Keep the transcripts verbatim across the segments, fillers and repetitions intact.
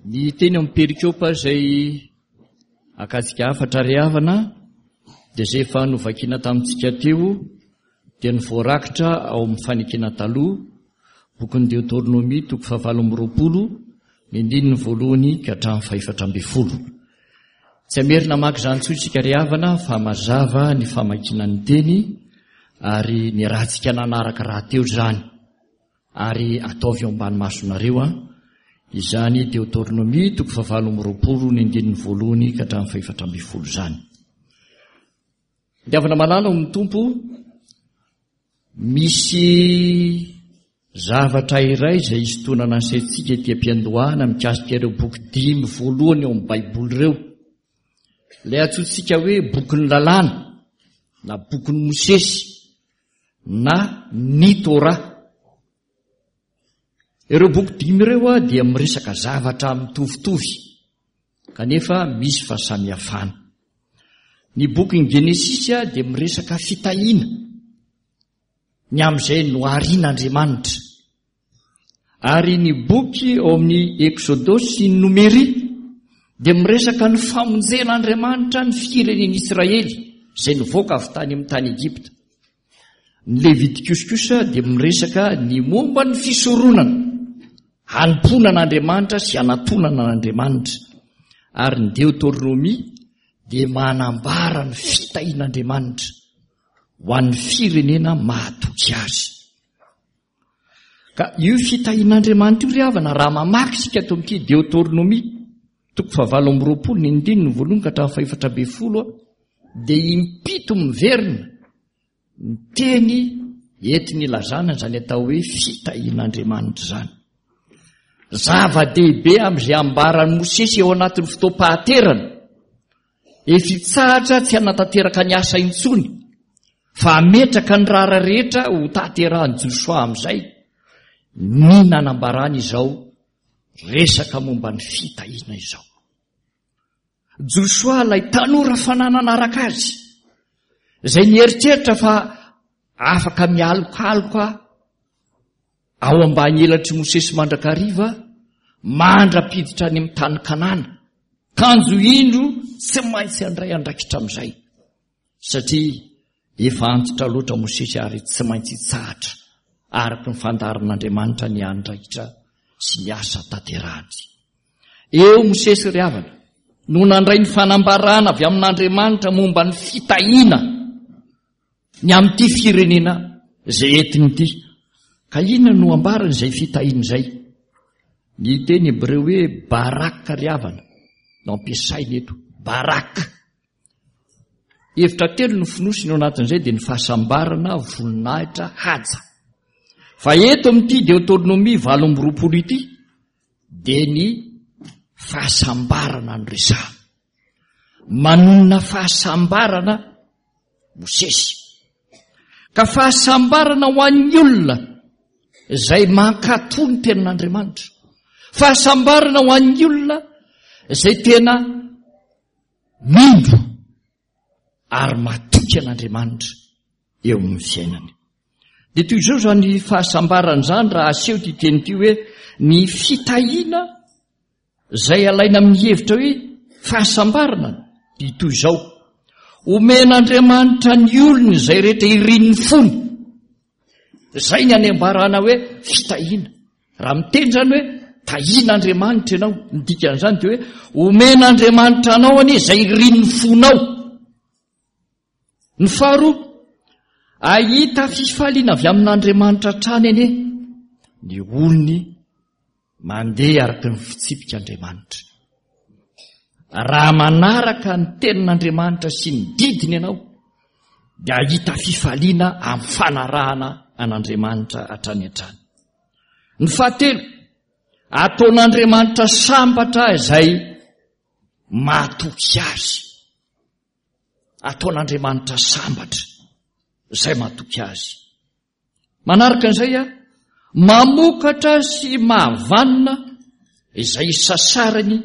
Ny teny amin'ny perikopa izay akatsika hafatra ry havana dia izay efa novakiana tamintsika teo dia ny voarakitra ao amin'ny fanekena taloha, bokin'ny Deoteronomia toko fahavalo amby roapolo, ny andininy voalohany ka hatramin'ny fahefatra ambin'ny folo. Tsy hamerina hamaky izany intsony isika ry havana fa mazava ny famakiana ny teny ary niarahantsika nanaraka rahateo izany. Ary ataovy eo ambany masonareo an, izany Deoteronomia toko fahavalo amby roapolo ny andininy voalohany ka hatramin'ny fahefatra ambin'ny folo izany. Ny havana malala ao amin'ny Tompo, misy zavatra iray izay isintonana ny saintsika ety am-piandohana mikasika ireo boky dimy voalohany ao amin'ny Baiboly ireo. Ilay antsointsika hoe bokin'ny lalàna na bokin'ny Mosesy na ny Torah. Ireo boky dimy ireo dia miresaka zavatra mitovitovy kanefa misy fahasamihafana. Ny bokin'ny Genesisy dia miresaka fitahiana ny amin'izay noharin'Andriamanitra. Ary ny boky ao amin'ny Eksodosy sy ny Nomery dia miresaka ny famonjen'Andriamanitra ny firenen'Israely izay nivoaka avy tany amin'ny tany Egypta. Ny Levitikosy kosa dia miresaka ny momba ny fisoronana, hanompoana an'Andriamanitra sy hanatonana an'Andriamanitra. Ary ny Deoteronomia dia manambara ny fitahian'Andriamanitra ho an'ny firenena mahatoky azy. Ka io fitahian'Andriamanitra io ry havana, raha mamaky isika ato amin'ity Deoteronomia toko fahavalo amby roapolo ny andininy voalohany ka hatramin'ny fahefatra ambin'ny folo, dia impito miverina ny teny entiny ilazana izany atao hoe fitahian'Andriamanitra izany. Zava-dehibe amin'izay ambaran'i Mosesy eo anatin'ny fotoam-pahaterana, efa hitsahatra tsy hanatanteraka ny asa intsony, fa hametraka ny raharaha rehetra ho tanterahan'i Josoa amin'izay ny nanambarany izao resaka momba ny fitahiana izao. Josoa ilay tanora fananana araka azy, izay nieritreritra fa afaka mialokaloka ao ambany elatr'i Mosesy mandrakariva mandra-piditra any amin'ny tany Kanana, kanjo indro tsy maintsy handray andraikitra amin'izay, satria efa antitra loatra Mosesy ary tsy maintsy hitsahatra araka ny fandaharan'Andriamanitra ny andraikitra sy ny asa tanterahany. Eo Mosesy ry havana no nandray ny fanambarana avy amin'Andriamanitra momba ny fitahiana ny amin'ity firenena izay entiny ity. Ka inona no ambarany izay fitahiana izay? Ny teny hebreo hoe barak ry havana no ampiasaina eto, barak. Hevitra telo no fonosiny ao anatin'izay, dia ny fahasambarana, voninahitra, haja. Fa eto amin'ity Deoteronomia valo amby roapolo ity dia ny fahasambarana no resahana. Manonona fahasambarana Mosesy. Ka fahasambarana ho an'ny olona izay mankatò ny tenin'Andriamanitra. Fahasambarana ho an'ny olona izay tena mino ary matoky an'Andriamanitra eo amin'ny fiainany. Dia toy izao izany fahasambarana izany raha aseho ity teny ity hoe ny fitahiana izay alaina amin'ny hevitra hoe fahasambarana dia toy izao. Omen'Andriamanitra ny olony izay rehetra irin'ny fony. Izay ny anambarana hoe fitahiana. Raha miteny izany hoe tahian'Andriamanitra ianao, ny dikan'izany dia hoe omen'Andriamanitra anao anie izay irin'ny fonao. Ny faharoa, ahita fifaliana avy amin'Andriamanitra hatrany anie ny olony mandeha araka ny fitsipik'Andriamanitra. Raha manaraka ny tenin'Andriamanitra sy ny didiny ianao, dia ahita fifaliana amin'ny fanarahana an'Andriamanitra hatrany hatrany. Ny fahatelo, ataon'Andriamanitra sambatra izay mahatoky azy. Ataon'Andriamanitra sambatra izay mahatoky azy. Manaraka an'izay, mamokatra sy mahavanona izay sasarany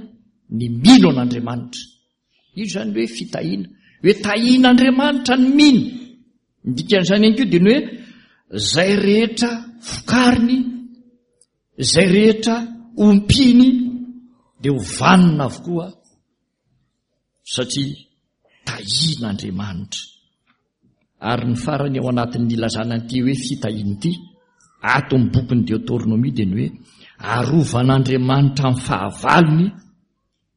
ny mino an'Andriamanitra. Io izany hoe fitahiana, hoe tahian'Andriamanitra ny mino. Ny dikan'izany ihany koa dia ny hoe izay rehetra vokariny, izay rehetra ompiany dia ho vanona avokoa satria tahian'Andriamanitra. Ary ny farany ao anatin'ny ilazana an'ity hoe fitahiana ity, ato amin'ny bokin'ny Deoteronomia, dia ny hoe arovan'Andriamanitra amin'ny fahavalony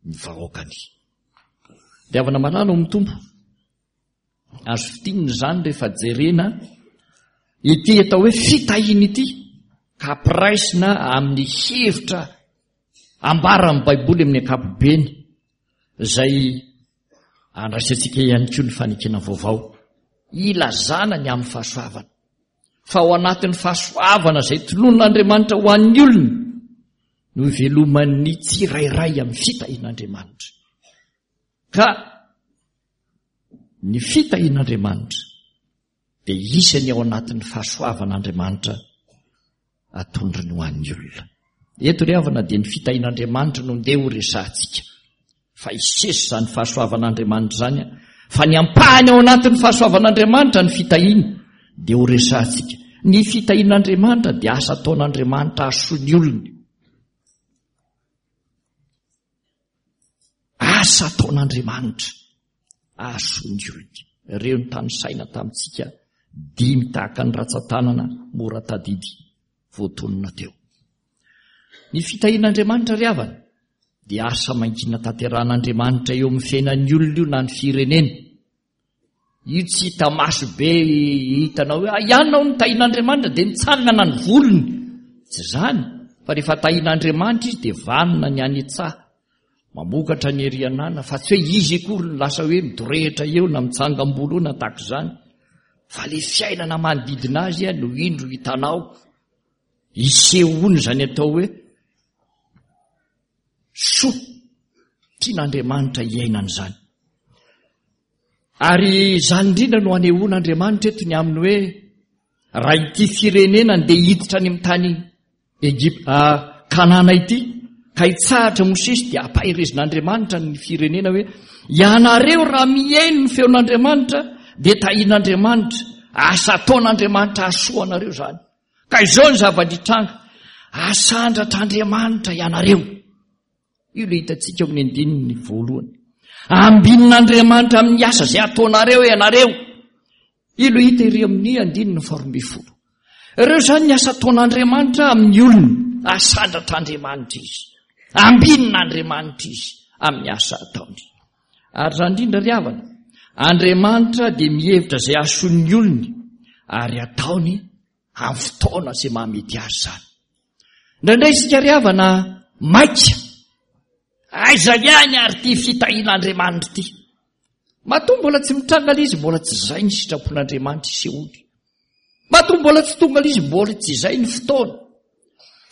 ny vahoakany. Dia havana malala ao amin'ny Tompo, azo fintinina izany rehefa jerena ity atao hoe fitahiana ity, ka ampiraisina amin'ny hevitra ambaran'ny Baiboly amin'ny ankapobeny, izay andraisantsika ihany koa ny fanekena vaovao, ilazana ny amin'ny fahasoavana. Fa ao anatin'ny fahasoavana izay tolonin'Andriamanitra ho an'ny olony no iveloman'ny tsirairay amin'ny fitahian'Andriamanitra. Ka ny fitahian'Andriamanitra dia isany ao anatin'ny fahasoavan'Andriamanitra atondrony ho an'ny olona. Eto ry havana dia ny fitahian'Andriamanitra no ndeha ho resahantsika. Fa hisesy izany fahasoavan'Andriamanitra izany, fa ny ampahany ao anatin'ny fahasoavan'Andriamanitra ny fitahiana dia ho resahantsika. Ny fitahian'Andriamanitra dia asa ataon'Andriamanitra hahasoa ny olony. Asa ataon'Andriamanitra hahasoa ny olony. Ireo ny tanisaina tamintsika dimy tahaka ny ratsan-tanana mora tadidy voatonona teo. Ny fitahian'Andriamanitra ry havana dia asa mangina tanterahan'Andriamanitra eo amin'ny fiainan'ny olona io na ny firenena. Io tsy hita maso be hitanao hoe ianao no tahian'Andriamanitra dia nitsangana ny volony. Tsy izany, fa rehefa tahian'Andriamanitra izy dia vanona ny any an-tsaha, mamokatra ny ery anana, fa tsy hoe izy akory no lasa hoe midorehitra eo na mitsangam-bolo na tahaka izany, fa le fiainana manodidina azy no indro hitanao isehoany izany atao hoe soa tian'Andriamanitra hiainana izany. Ary izany indrindra no anehoan'Andriamanitra eto ny amin'ny hoe raha ity firenena ndeha hiditra any amin'ny tany Egypta, Kanana ity, ka hitsahatra Mosesy, dia ampaherezin'Andriamanitra ny firenena hoe ianareo raha mihaino ny feon'Andriamanitra dia tahian'Andriamanitra, asa ataon'Andriamanitra hahasoa anareo izany. Ka izao ny zava-nitranga, asandratr'Andriamanitra ianareo. Io ilay hitantsika ao amin'ny andininy voalohany. Ambinin'Andriamanitra amin'ny asa izay ataonareo ianareo. Io ilay hita ery amin'ny andininy faharoa ambin'ny folo. Ireo izany ny asa ataon'Andriamanitra amin'ny olony. Asandratr'Andriamanitra izy. Ambinin'Andriamanitra izy amin'ny asa ataony. Ary izany indrindra ry havana, Andriamanitra dia mihevitra izay hahasoan'ny olony ary ataony amin'ny fotoana izay mahamety azy izany. Indraindray isika ry havana maika, aiza ihany ary ity fitahian'Andriamanitra ity? Matoa mbola tsy mitranga ilay izy, mbola tsy izay ny sitrapon'Andriamanitra isehoany. Matoa mbola tsy tonga ilay izy, mbola tsy izay ny fotoana.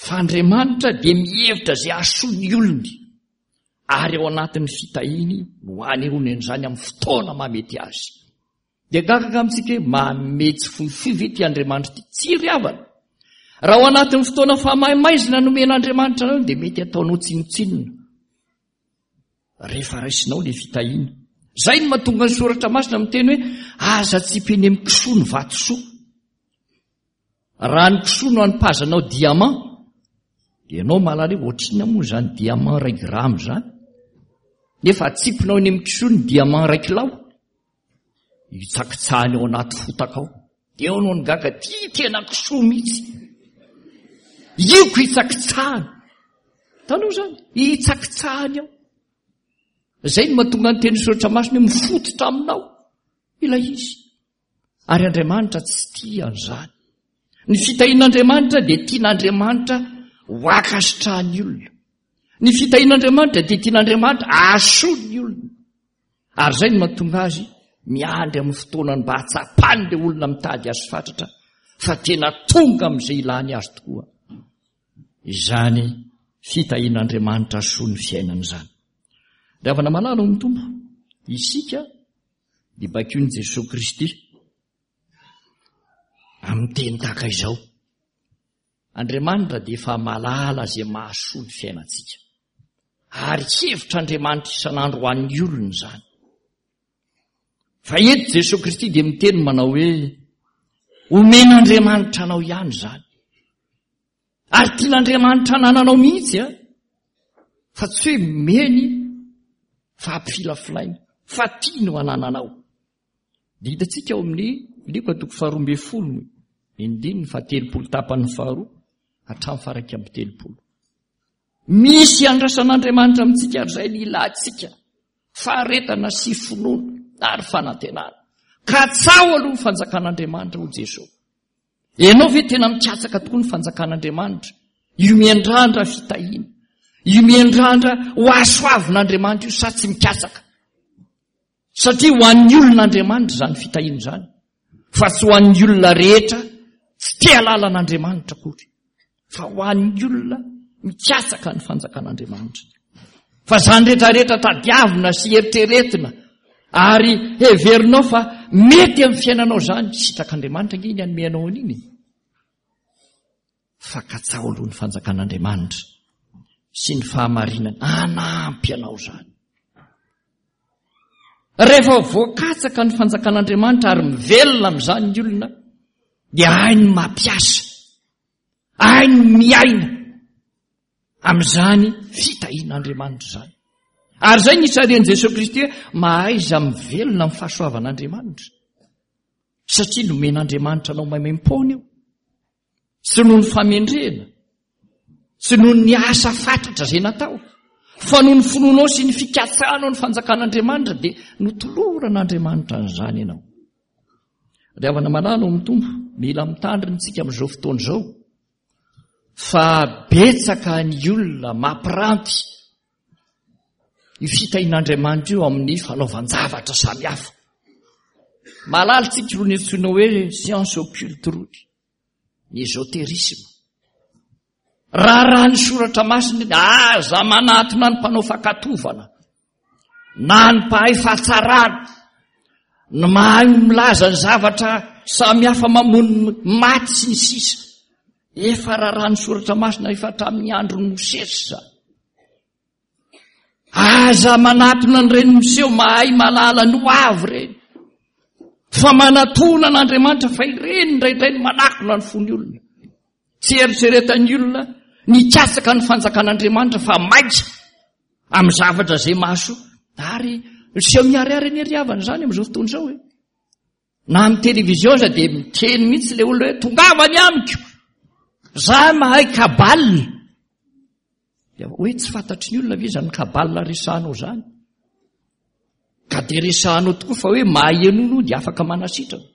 Fa Andriamanitra dia mihevitra izay hahasoa ny olony, ary ao anatin'ny fitahiany no anehoany an'izany amin'ny fotoana mahamety azy. Dia gaga amintsika hoe manome tsy fohifohy ve ity Andriamanitra ity? Tsy ry havana. Raha ao anatin'ny fotoana fahamaimaizina nomen'Andriamanitra anao dia mety ataonao tsinontsinona rehefa raisinao ilay fitahiana. Izay no mahatonga ny soratra masina miteny hoe aza tsipy eny amin'ny kisoa ny vatosoa. Raha ny kisoa no anipazanao diamant, dia ianao mahalala hoe ohatrinona moa izany diamant iray grama izany, nefa atsipinao eny amin'ny kisoa ny diamant iray kilao, hitsakitsahany ao anaty fotaka ao. Dia eo no nigaga, ty tena kisoa mihitsy, io ko hitsakitsahany. Hitanao izany, hitsakitsahany ao. Izay no mahatonga ny teny soratra masina hoe mifototra aminao ilay izy. Ary Andriamanitra tsy tia an'izany. Ny fitahian'Andriamanitra dia tian'Andriamanitra ho ankasitrahan'ny olona. Ny fitahian'Andriamanitra dia tian'Andriamanitra hahasoa ny olona. Ary izay no mahatonga azy miandry amin'ny fotoanany mba hahatsapany ilay olona mitady azy fatratra fa tena tonga amin'izay ilany azy tokoa. Izany fitahian'Andriamanitra soa ny fiainana izany. Ry havana malala ao amin'ny Tompo, isika dia baikoin'i Jesoa Kristy amin'ny teny tahaka izao. Andriamanitra dia efa mahalala izay mahasoa ny fiainantsika. Ary hevitr'Andriamanitra isan'andro ho an'ny olona izany. Fa eto Jesoa Kristy dia miteny manao hoe omen'Andriamanitra anao ihany izany. Ary tian'Andriamanitra anananao mihitsy a. Fa tsy hoe meny fa ampifilafilaina, fa tia no anananao. Dia hitantsika ao amin'ny Lioka toko faharoa ambin'ny folo, ny andininy fahatelopolo tapany faharoa hatramin'ny faha-iraika amby telopolo. Misy andrasan'Andriamanitra amintsika ary izay ny ilantsika, faharetana sy finoana ary fanantenana. Katsaho aloha ny fanjakan'Andriamanitra, hoy Jesoa. Ianao ve tena mikatsaka tokoa ny fanjakan'Andriamanitra? Io miandrandra fitahiana, io miandrandra ho hasoavin'Andriamanitra io, sa tsy mikatsaka? Satria ho an'ny olon'Andriamanitra izany fitahiana izany, fa tsy ho an'ny olona rehetra tsy te hahalala an'Andriamanitra akory, fa ho an'ny olona mikatsaka ny fanjakan'Andriamanitra. Fa izany rehetrarehetra tadiavina sy eritreretina ary heverinao fa mety amin'ny fiainanao izany, sitrak'Andriamanitra ange iny hanome anao an'iny. Fa katsaho aloha ny fanjakan'Andriamanitra sy ny fahamarinana, hanampy anao izany. Rehefa voakatsaka ny fanjakan'Andriamanitra ary mivelona amin'izany ny olona, dia hainy mampiasa, hainy miaina amin'izany fitahian'Andriamanitra izany. Ary izay ny isarian'i Jesoa Kristy hoe mahaiza mivelona amin'ny fahasoavan'Andriamanitra, satria nomen'Andriamanitra anao maimaim-poana io, tsy noho ny famendrehana, tsy noho ny asa fatratra izay natao, fa noho ny finoanao sy ny fikatsahanao ny fanjakan'Andriamanitra dia notoloran'Andriamanitra an'izany ianao. Ry havana malala ao amin'ny Tompo, mila mitandrina isika amin'izao fotoana izao, fa betsaka ny olona mampiranty io fitahian'Andriamanitra io amin'ny fanaovan-javatra samihafa. Mahalala isika irony antsoina hoe science occulte irony, ny ésotérisme. Raharaha ny soratra masina iny, aza manatona ny mpanao fankatovana, na ny mpahay fahatsarana, ny mahay milaza ny zavatra samihafa mamono maty sy ny sisa. Efa raharaha ny soratra masina efa hatramin'ny andron'i Mosesy izany. Aza manatona an'ireny miseho mahay mahalala ny ho avy ireny, fa manatona an'Andriamanitra, fa ireny indraindray no manakona ny fon'ny olona. Tsy eritreretan'ny olona ny hikatsaka ny fanjakan'Andriamanitra fa maika amin'ny zavatra izay mahasoa. Ary miseho miharihary anie ry havana izany amin'izao fotoana izao e. Na amin'ny télévision aza dia miteny mihitsy ilay olona hoe tongava ny amiko, za mahay kabale. Dia hoe tsy fantatry ny olona ve izany kabale resahanao izany? Ka dia resahanao tokoa fa hoe mahay an'olo dia afaka manasitrana,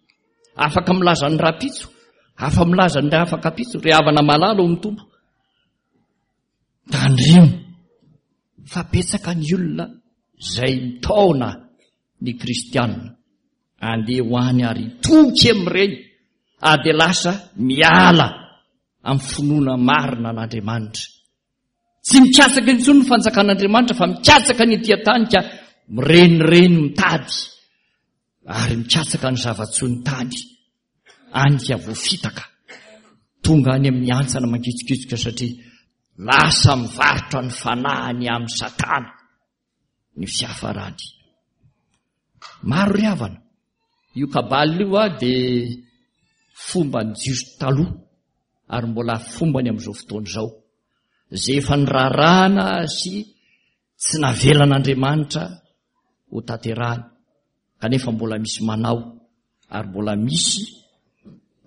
afaka milaza ny rahampitso, afa milaza ny afaka-pitso. Ry havana malala ao amin'ny Tompo, tandremo fa betsaka ny olona izay mitaona ny kristianina andeha ho any ary hitoky amin'ireny, ary dia lasa miala amin'ny finoana marina an'Andriamanitra. Tsy mikatsaka intsony ny fanjakan'Andriamanitra fa mikatsaka ny ety an-tany ka mirenireny mitady ary mikatsaka ny zava-tsoa ny tany, any ka voafitaka tonga any amin'ny hantsana mangitsokitsoka satria lasa mivarotra ny fanahiny amin'ny Satana ny fiafarany. Maro ry havana, io kabale io a dia fomban'ny Jiosy taloha ary mbola fombany amin'izao fotoana izao, izay efa nirarahana sy tsy navelan'Andriamanitra ho tanterahany, kanefa mbola misy manao ary mbola misy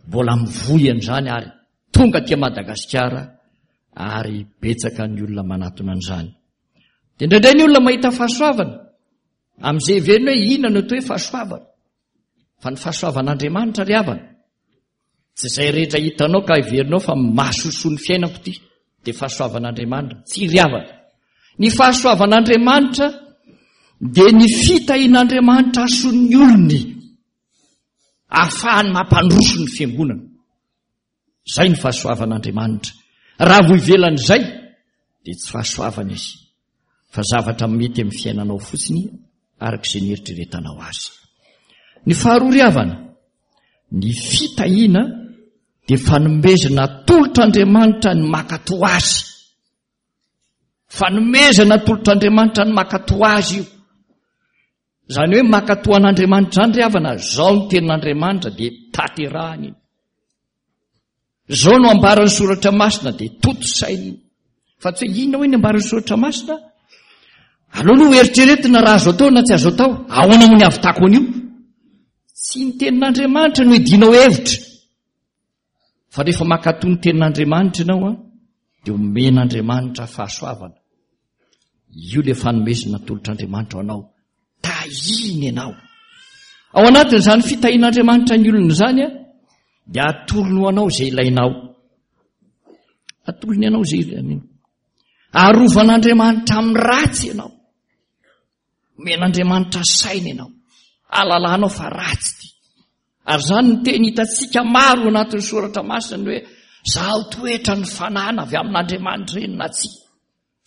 mbola mivoy an'izany ary tonga aty Madagasikara ary betsaka ny olona manatona an'izany. Dia indraindray ny olona mahita fahasoavana amin'izay heveriny hoe inona no atao hoe fahasoavana, fa ny fahasoavan'Andriamanitra ry havana tsy izay rehetra hitanao ka heverinao fa mahasosoa ny fiainako ity dia fahasoavan'Andriamanitra. Tsy ry havana, ny fahasoavan'Andriamanitra dia ny fitahian'Andriamanitra ason'ny olony ahafahany mampandroso ny fiangonana. Izay ny fahasoavan'Andriamanitra. Raha vao ivelan'izay dia tsy fahasoavana izy, fa zavatra mety amin'ny fiainanao fotsiny araka izay nieritreretanao azy. Ny faharoa ry havana, ny fitahiana dia fanomezana atolotr'Andriamanitra ny mankatò azy. Fanomezana atolotr'Andriamanitra ny mankatò azy io. Izany hoe mankatò an'Andriamanitra izany ry havana, izao ny tenin'Andriamanitra dia tanterahany iny. Izao no ambaran'ny soratra masina dia tontosainy iny. Fa tsy hoe inona hoe ny ambaran'ny soratra masina? Aleo aloha eritreretina raha azo atao na tsy azo atao. Ahoana moa ny ahavitako an'io? Tsy ny tenin'Andriamanitra no iadianao hevitra. Fa rehefa mankatò ny tenin'Andriamanitra ianao an, dia omen'Andriamanitra fahasoavana. Io ilay fanomezana atolotr'Andriamanitra ho anao. Tahiny ianao. Ao anatin'izany fitahian'Andriamanitra ny olona izany an, dia atolony ho anao izay ilainao. Atolony anao izay ilainao. Arovan'Andriamanitra amin'ny ratsy ianao. Omen'Andriamanitra saina ianao. Alalanao fa ratsy ity. Ary izany ny teny hitantsika maro anatin'ny soratra masina ny hoe zaho toetra ny fanana avy amin'Andriamanitra ireny na tsia.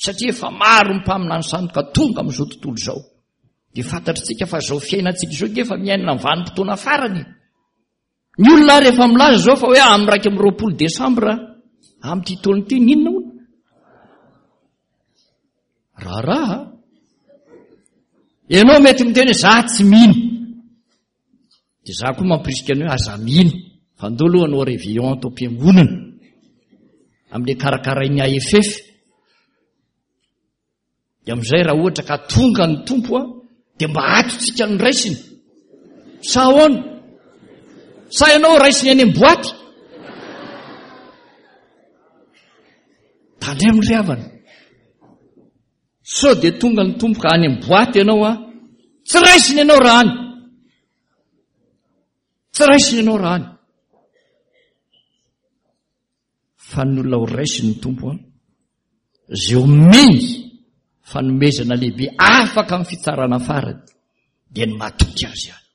Satria efa maro ny mpaminany sandoka tonga amin'izao tontolo izao. Dia fantatritsika fa izao fiainantsika izao dia efa miaina ny vanim-potoana farany. Ny olona ary efa milaza izao fa hoe amin'ny iraika amby roapolo desambra amin'ity taona ity n'inona hono? Raharaha. Ianao mety miteny hoe za tsy mino. Dia za koa mampirisika ny hoe aza mino. Fa ndao aloha hanao réveillon ato am-piangonana. Amin'ilay karakarain'ny A F F. Dia amin'izay raha ohatra ka tonga ny Tompo a, dia mba ato tsika ny raisiny. Sa ahoana? Sa ianao raisiny any amin'ny boaty? Tandremo ry havana. Sao dia tonga ny Tompo ka any amin'ny boaty ianao a, tsy raisiny ianao raha any. Tsy raisiny ianao raha any. Fa ny olona ho raisiny ny Tompo a, izay omeny fanomezana lehibe afaka amin'ny fitsarana farany dia ny matoky azy ihany.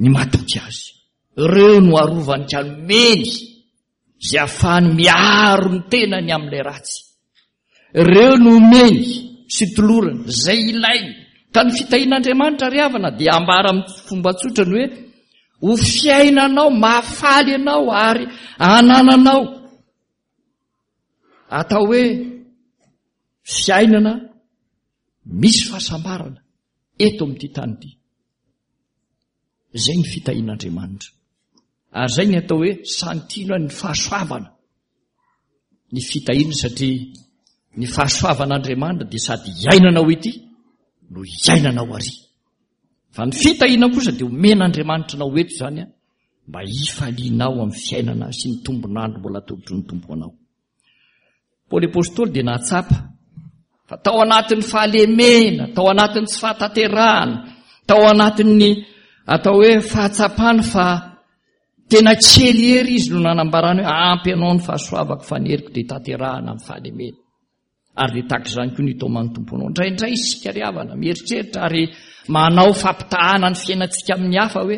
Ny matoky azy. Ireo no arovany ka nomeny izay ahafahany miaro ny tenany amin'ilay ratsy. Ireo no omeny sy tolorany izay ilainy. Ka ny fitahian'Andriamanitra ry havana dia ambara amin'ny fomba tsotra ny hoe ho fiainanao mahafaly anao ary anananao. Atao hoe fiainana misy fahasambarana eto amin'ity tany ity. Izay ny fitahian'Andriamanitra. Ary izay ny atao hoe santino ny fahasoavana. Ny fitahiana satria ny fahasoavan'Andriamanitra dia sady iainanao ity no iainanao ary. Fa ny fitahiana kosa dia omen'Andriamanitra anao eto izany a, mba hifalianao amin'ny fiainana sy ny tombon'andro mbola atolotry ny Tompo anao. Paoly Apostoly dia nahatsapa fa tao anatin'ny fahalemena, tao anatin'ny tsy fahatanterahana, tao anatin'ny atao hoe fahatsapany fa tena kely hery izy no nanambarany hoe ampy anao ny fahasoavako fa ny heriko dia tanterahana amin'ny fahalemena. Ary dia tahaka izany koa ny itaoman'ny Tompo anao. Indraindray isika ry havana mieritreritra ary manao fampitahana ny fiainantsika amin'ny hafa hoe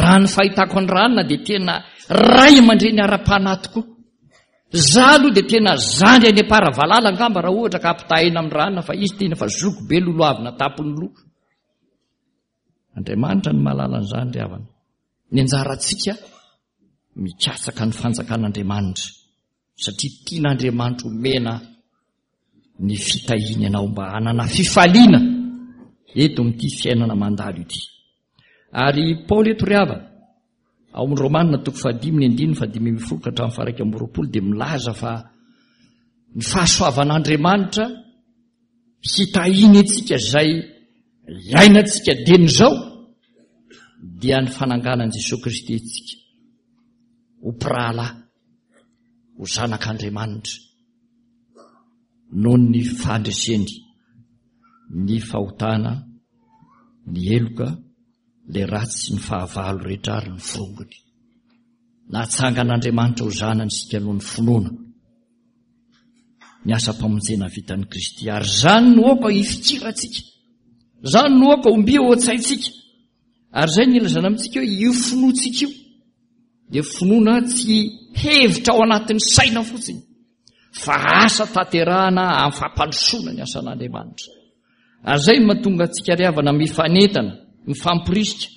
raha ny fahitako ny ranona dia tena ray aman-dreny ara-panahy tokoa. Za aloha dia tena zandry any am-paravalala angamba raha ohatra ka ampitahaina amin'ny ranona fa izy tena fa zoky be lolohavina tampon'ny loha. Andriamanitra no mahalala an'izany ry havana. Ny anjarantsika mikatsaka ny fanjakan'Andriamanitra satria tian'Andriamanitra omena ny fitahiany anao mba hanana fifaliana eto amin'ity fiainana mandalo ity. Ary Paoly eto ry havana, ao amin'ny Romana toko fahadimy ny andininy fahadimy ambin'ny folo ka hatramin'ny faha-iraika amby roapolo dia milaza fa ny fahasoavan'Andriamanitra hitahiany antsika izay iainantsika dieny izao dia ny fananganan'i Jesoa Kristy antsika ho mpirahalahy, ho zanak'Andriamanitra noho ny fandreseny ny fahotana, ny heloka, ilay ratsy sy ny fahavalo rehetra ary ny forongony. Natsangan'Andriamanitra ho zanany isika noho ny finoana ny asam-pamonjena vitan'i Kristy. Ary izany no aoka hifikirantsika, izany no aoka hombia ao an-tsaintsika. Ary izay ny ilazana amintsika hoe io finoantsika io dia finoana tsy hevitra ao anatin'ny saina fotsiny, fa asa tanterahana amin'ny fampandrosoana ny asan'Andriamanitra. Ary izay no mahatonga antsika ry havana mifanentana, mifampirisika,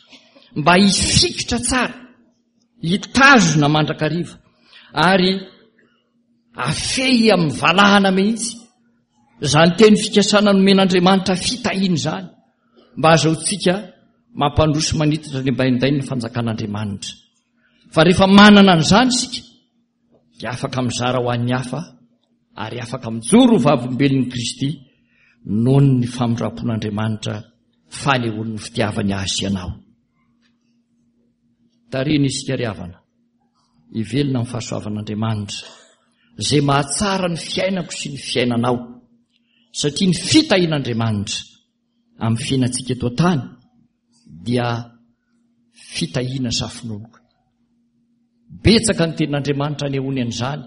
mba hifikitra tsara, hitazona mandrakariva, ary afehy amin'ny valahana mihitsy izany teny fikasana nomen'Andriamanitra fitahiana izany, mba ahazoantsika mampandroso manitatra ny ambaindainy ny fanjakan'Andriamanitra. Fa rehefa manana an'izany isika dia afaka mizara ho an'ny hafa ary afaka mijoro ho vavolombelon'i Kristy noho ny famindram-pon'Andriamanitra fanehoan'ny fitiavany azy sy anao. Tarihina isika ry havana, hivelona amin'ny fahasoavan'Andriamanitra, izay mahatsara ny fiainako sy ny fiainanao, satria ny fitahian'Andriamanitra amin'ny fiainantsika eto an-tany dia fitahiana safononoka. Betsaka ny tenin'Andriamanitra anehoany an'izany,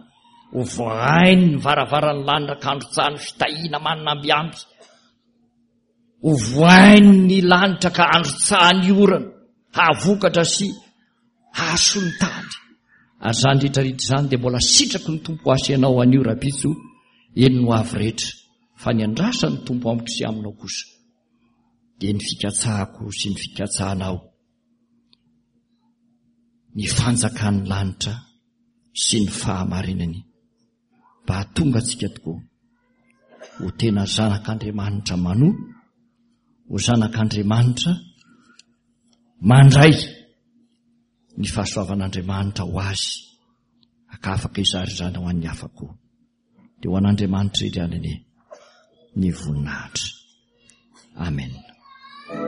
ho vohainy ny varavaran'ny lanitra ka androtsahany fitahiana manana ambiamby, ho vohainy ny lanitra ka androtsahany orana, hahavokatra sy hahasoa ny tany. Ary izany rehetra rehetra izany dia mbola sitraky ny Tompo ho ahy sy ianao anio rahampitso, eny no avy rehetra, fa ny andrasan'ny Tompo amiko sy aminao kosa dia ny fikatsahako sy ny fikatsahanao ny fanjakan'ny lanitra sy ny fahamarinany, mba hahatonga antsika tokoa ho tena zanak'Andriamanitra manoa, ho zanak'Andriamanitra mandray ny fahasoavan'Andriamanitra ho azy, ka afaka hizara izany ho an'ny hafa koa. Dia ho an'Andriamanitra irery ihany anie ny voninahitra. Amen.